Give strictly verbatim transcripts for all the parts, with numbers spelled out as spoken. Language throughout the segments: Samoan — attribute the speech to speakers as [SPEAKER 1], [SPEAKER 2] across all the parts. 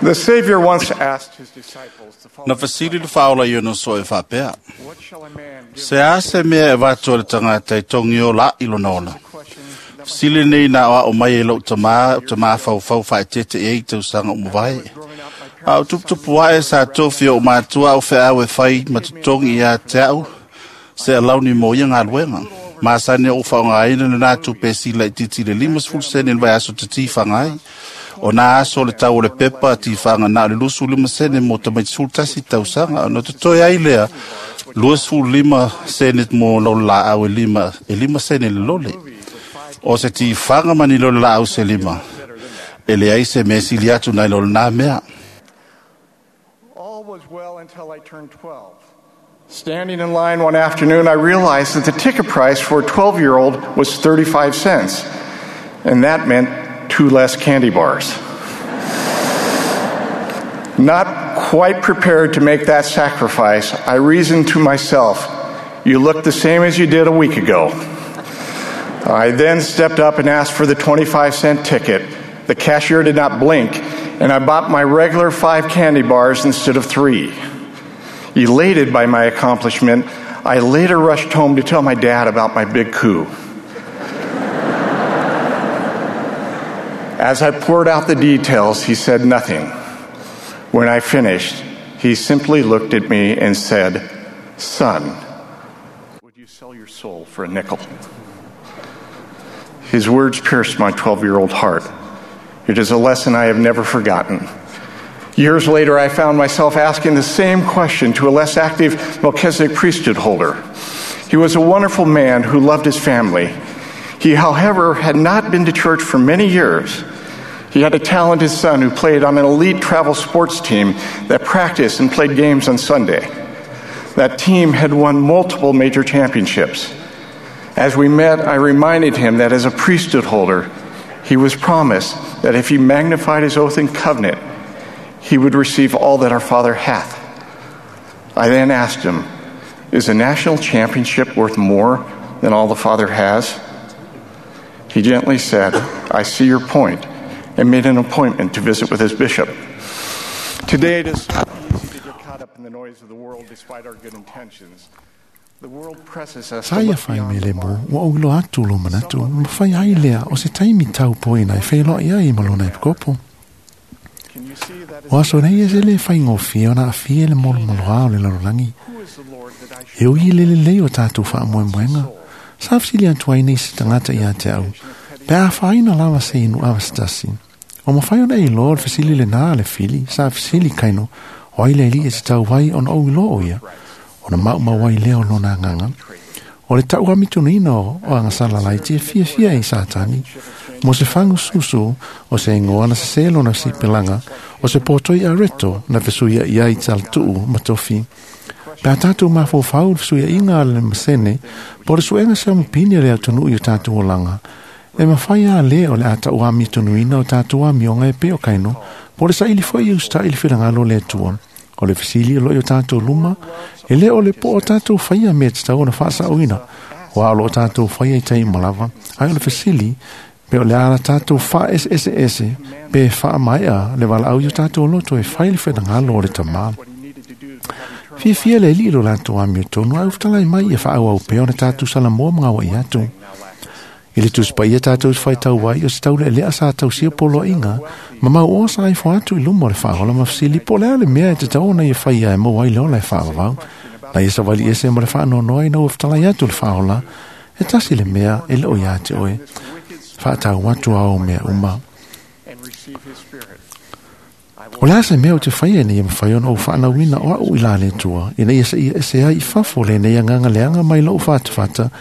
[SPEAKER 1] The Savior once asked his disciples the
[SPEAKER 2] Na
[SPEAKER 1] following
[SPEAKER 2] fasili le whaola i ono so e whapea.
[SPEAKER 1] What shall a man give
[SPEAKER 2] Se a se mea e wātua le tangata e tongi o la i lona ola.
[SPEAKER 1] question that
[SPEAKER 2] Sili nei nā o mai e lau tamā, tamā whau whau whae tete e i tausaga o mawai.
[SPEAKER 1] growing up my
[SPEAKER 2] A o tuputupu ae sa tofi o mātua o whea e whai matutongi i a te au, se a launi mo ia ngā luenga. Māsane o whaonga aina na nā tupe sila i titi le lima sefulu sene le vai aso te tīwhanga ai. O nā aso le tau o le pepa tīwhanga nā o le lusu lima sene mo tamai sefulu tasi tausaga. O no te toi ai lea, lua sefulu lima sene mo lau la au e lima, e lima sene le lole. O se tīwhanga mani lole la au se lima. E le ai se me sili atu nai lole nā mea.
[SPEAKER 1] All was well until I turned twelve. Standing in line one afternoon, I realized that the ticket price for a twelve-year-old was thirty-five cents, and that meant two less candy bars. Not quite prepared to make that sacrifice, I reasoned to myself, you look the same as you did a week ago. I then stepped up and asked for the twenty-five cent ticket. The cashier did not blink, and I bought my regular five candy bars instead of three. Elated by my accomplishment, I later rushed home to tell my dad about my big coup. As I poured out the details, he said nothing. When I finished, he simply looked at me and said, "Son, would you sell your soul for a nickel?" His words pierced my twelve-year-old heart. It is a lesson I have never forgotten. Years later, I found myself asking the same question to a less active Melchizedek priesthood holder. He was a wonderful man who loved his family. He, however, had not been to church for many years. He had a talented son who played on an elite travel sports team that practiced and played games on Sunday. That team had won multiple major championships. As we met, I reminded him that as a priesthood holder, he was promised that if he magnified his oath and covenant, he would receive all that our Father hath. I then asked him, is a national championship worth more than all the Father has? He gently said, I see your point, and made an appointment to visit with his bishop. Today it is so easy to get caught up in the noise of the world despite our good intentions. The world presses us to
[SPEAKER 3] Sa ia
[SPEAKER 1] look
[SPEAKER 3] whai
[SPEAKER 1] beyond
[SPEAKER 3] me
[SPEAKER 1] the
[SPEAKER 3] le mo,
[SPEAKER 1] mark.
[SPEAKER 3] wa o lo atu lo manatu, ma whai ai lea o se taimi tau poina e whelo ia i malona e pkopo.
[SPEAKER 1] Can you see that is
[SPEAKER 3] O aso nei e se le whai ngōwhia o na awhia le molo moloa o le larolangi.
[SPEAKER 1] who is the Lord that I should
[SPEAKER 3] E ui le le lei o tātou wha moe moenga. Sa whasili atu ai nei se tangata i a te au. Pe a whaina lava se inu awa se tasi. O mawhai ona e loa le whasili le nā le whili, sa whasili kaino, o ai le li e te tau wai ona o ilo o ia. O na mau mawai leo lona nganga. O le tau amitunuina o o angasala lai te fia fia i sātani. Mo se whangu susu o se ingoa na se selo na si pelanga o se pōtoi a reto na fesuia i ai taltuu matofi. Pea tātou mawhawhau le fesuia inga le masene, po le suenga se amupini le atunuu i o tātou olanga. E mawhai a le o le ata o amitunuina o tātou amionga e peo kaino, po le saili foi i usta i le whirangalo le atua. O le fisili o lo i o tātou luma, e le o le po o tātou whaia me te tau na whaasauina. O a o lo o tātou whaia i tai malawa, ai o le fisili, pe o le ala tātou wha ese ese ese, pe wha mai a le wala au i o tātou loto e whai le whirangalo o le tamā.
[SPEAKER 1] what he needed to do to have eternal
[SPEAKER 3] Fia fia le li lo lātou amio tonu, ai ufutalai mai e whaau au peo na tātou salamoa mga wa i atu. I le tusi paia tātou whai tau wai o se tau le lea sa tau sia polo inga, ma mau o sa i fo atu i lumo le whaola ma whasili po lea le mea e te tau ona i whai e mo ai le ola e whaavavau. Na ia sa wali ese mo le whaanonoa i na ufutalai atu le whaola, e tasi le mea e leo ia te oe. Whaatau atu au mea uma.
[SPEAKER 1] and receive his spirit.
[SPEAKER 3] O le asa mea o te whaia nei e mwhai ona o whaanauina o au i la le tua, ina ia se ia ese ai i fafo le nei anganga leanga mai lo whatawhata,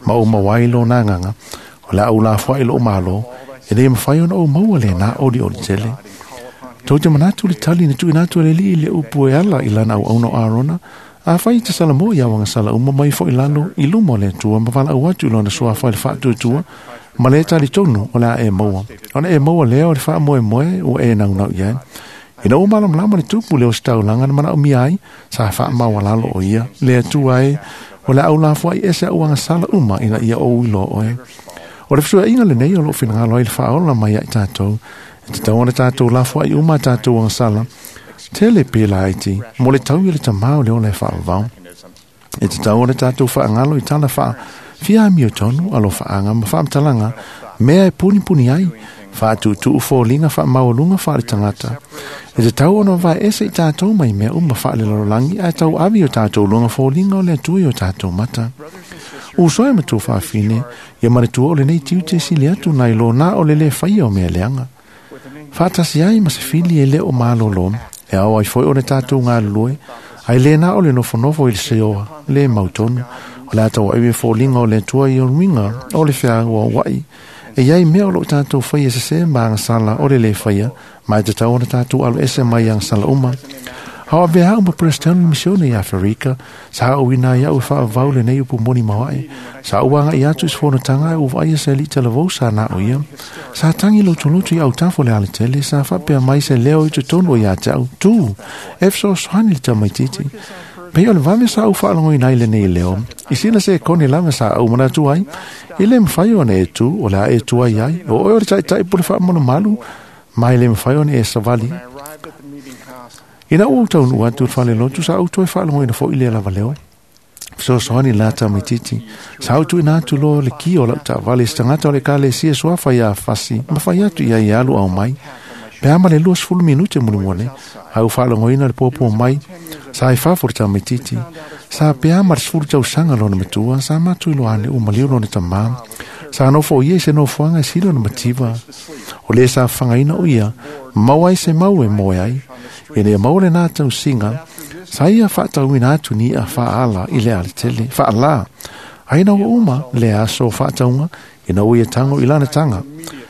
[SPEAKER 3] ma o mawai lo nā nganga, o le au la whai lo malo, e nei mwhai ona o maua le nā ori ori tele. Tau te manatu le tali na tuina atu le li i le upu e ala i lana au auno Arona, a whai te sala mo ia wanga sala uma mai fo i lalo i lumo le tua, ma wala au atu lona sua whai le whaatu tua, ma le tali tonu o la e maua. Ona e maua lea o le wha moe moe o e nau nau ia. Ina o malam lama le tupu le o staulanga na mana o miai, sa wha maua lalo o ia, le atua e, o le au la fua i ese au sala uma ina ia o uilo oe. O le fusua inga le nei o lo whingalo ai le whaola mai ai tātou, E tatau ona tatou lafoai uma a tatou agasala, tele pe laiti, mo le tau i le tamā o le ola e faavavao. E tatau ona tatou faagalo i tala faa fiamio tonu, alofaaga ma faamatalaga, mea e punipuni ai, faatuutuu foliga faamaualuga faale tagata. E tatau ona vaeese i tatou mai mea uma faalelalolagi ae tauavi o tatou luga foliga o le Atua i o tatou mata. Uso e matua faafine, ia manatua o lenei tiute sili atu nai lo na o le lē faia o mea leaga. Faatasi ai ma se fili e lē o malōlō, e ao ai foi ona tatou galulue, ai lē na o le nofonofo i le seoa, lē mautonu, o le a tauaivi e foliga o le Atua i oluiga o le feauaua'i. E iai mea o loo tatou faia sesē ma agasala o le lē faia, ma e tatau ona tatou alo ese mai agasala uma. Ao avea au ma Peresetene misione i Aferika, sa auina ai au e faavavau lenei upu moni maoae. Sa ou agaʻi atu i se fonotaga ae ua vaaia se alii talavou sa na o ia. Sa tagi lotoloto i autafa o le alatele, sa faapea mai se leo i totonu o ia te au, tū, e fesoasoani le tamaititi. Pei o le vave sa ou faalogoina ai lenei leo, i sina se kone lava sa ou manatu ai, e lē mafai ona e tū, o le a e tu ai ai, o oe o le taʻitaʻi pule faamalumalu, ma e lē mafai ona e savali. Ina ua ou taunuu atu i le falelotu, sa ou toe faalogoina foʻi lea lava leo. Fesoasoani la tamaititi. Sa ou tuuina atu loa le ki o lau taavale i se tagata o le ekalesia suafa iā Fasi, ma fai atu i ai e alu aumai. Pe a ma le luasefulu minute mulimuli, a ua faalogoina le puapua mai, sa i fafo le tamaititi. Sa pe a ma le sefulu tausaga lona matua, sa matou iloa ane ua maliu lona tamā. Sa nofo o ia i se nofoaga e sili ona mativa. O lē sa fafagaina o ia, ma maua ai se mau e moe ai. Ina ia maua lenā tausiga, sa ia faatauina atu ni i'a faaala i le alatele, faalā. Ai ina ua uma lea aso o faatauga, ina ua ia tago i lana taga.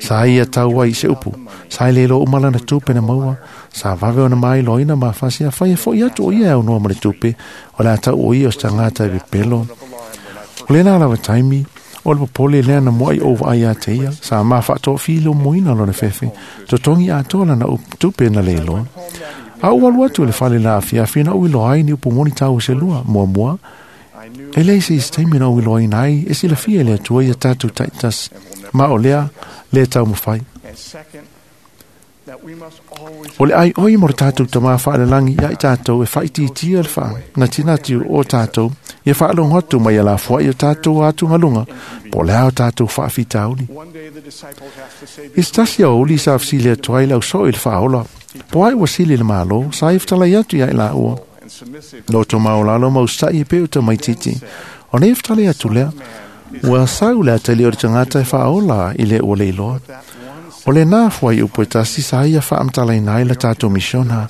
[SPEAKER 3] Sa ia tau ai i se upu, sa e le iloa uma lana tupe na maua, sa vave ona mailoaina ma fasi afai e foʻi atu o ia e aunoa ma le tupe, o le a tau o ia o se tagata e pepelo. O lena lava taimi, o le popole lea na muaʻi ou vaai iā te ia, sa ma faatoafilumuina lona fefe, totogi atoa lana tupe na le iloa. A ou alu atu i le fale la afiafi na ou iloa ai ni upu moni taua se lua, muamua, e leai se isi taimi na ou iloaina ai e silafia e le Atua ia tatou taitasi, ma o lea lē taumafai. O le aioi mo le tatou tamā faalelagi ia i tatou e faaitiitia le faanatinati o tatou, ia faalogo atu mai alafoai o tatou atugaluga, po o le a o tatou faafitauli. I se tasi aoauli sa fesili atu ai le ausoo i le faaola, po ai ua sili le Mālō, sa ia fetalai atu ia i laua. Loto maolalo ma usaʻi e pei o tamaititi. O nei fetalai atu lea, ua sau le atali o le tagata e faaola i le ua le iloa. O lenā fuaiupu e tasi sa ia faamatalaina ai la tatou misiona,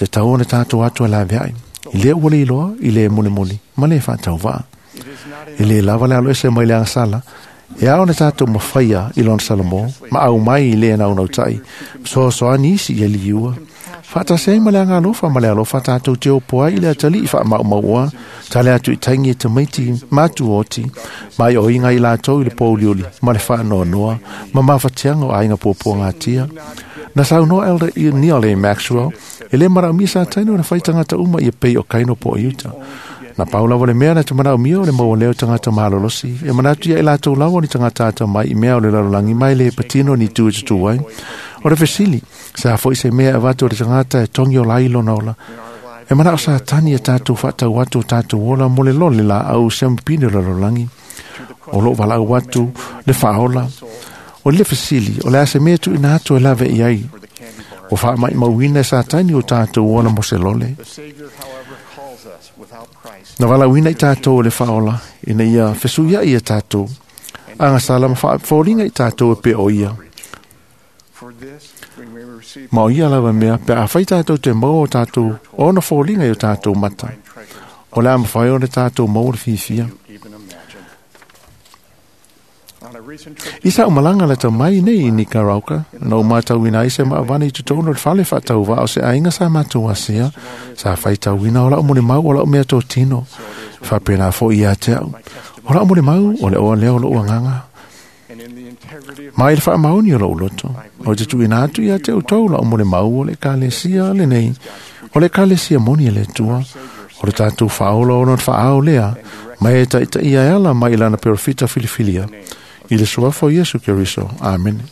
[SPEAKER 3] le tau ona tatou atu e laveai, i le ua le iloa, i le mulimuli, ma le faatauvaa. E lē lava le alo ese mai le agasala, e ao ona tatou mafaia i lona Salomō, ma aumai i le naunautai, fesoasoani isi ia liua. Faatasi ai ma le agalofa ma le alofa tatou te opo ai i le atalii faamaumauoa, tale atu i taigi e tamaiti matuoti, ma i oiga i latou i le pouliuli ma le faanoanoa, ma mafatiaga o aiga puapuagatia. Na saunoa Elder Neal A. Maxwell, e lē manaomia Satani ona fai tagata uma ia pei o Kaino po o Iuta. Na pau lava le mea na te manaomia o le maua lea o tagata malolosi, e manatu ia i latou lava o ni tagata atamai i mea o le lalolagi mai le patino ni tu e tutū ai. O le fesili, se a foi se mea e avatu e le tagata e togi ola ai lona ola. E manao Satani ia tatou faatau atu o tatou ola mo le lole laau siamupini o le lalolagi. O loo valaau atu le faaola. O le fesili, o le a se mea e tuuina atu e lave i ai. Ua faamaimauina e Satani o tatou ola mo se lole. Na valaauina i tatou e le faaola, ina ia fesuiai ia tatou agasala ma faafoliga i tatou e pei o ia. Ma o ia lava mea, pe afai tatou te maua o tatou ona foliga i o tatou mata, o le a mafai ona tatou maua le fiafia. I sa umalaga lata mai nei i Nicaragua, na ou matauina ai se maaavane i totonu o le fale faatauvaa o se aiga sa matou asea, sa faitauina o lau molimau o lau meatotino. E faapena foi ia te au. O lau molimau o le oa lea o lou agaga. Ma i le faamaoni o lou loto, o te tuuina atu ia te outou lau molimau o le Ekalesia lenei, o le Ekalesia moni a le Atua, o le tatou faaola o lona faaao lea, ma e taitaia e ala mai i lana perofita filifilia, i le suafa o Iesu Keriso. Amene.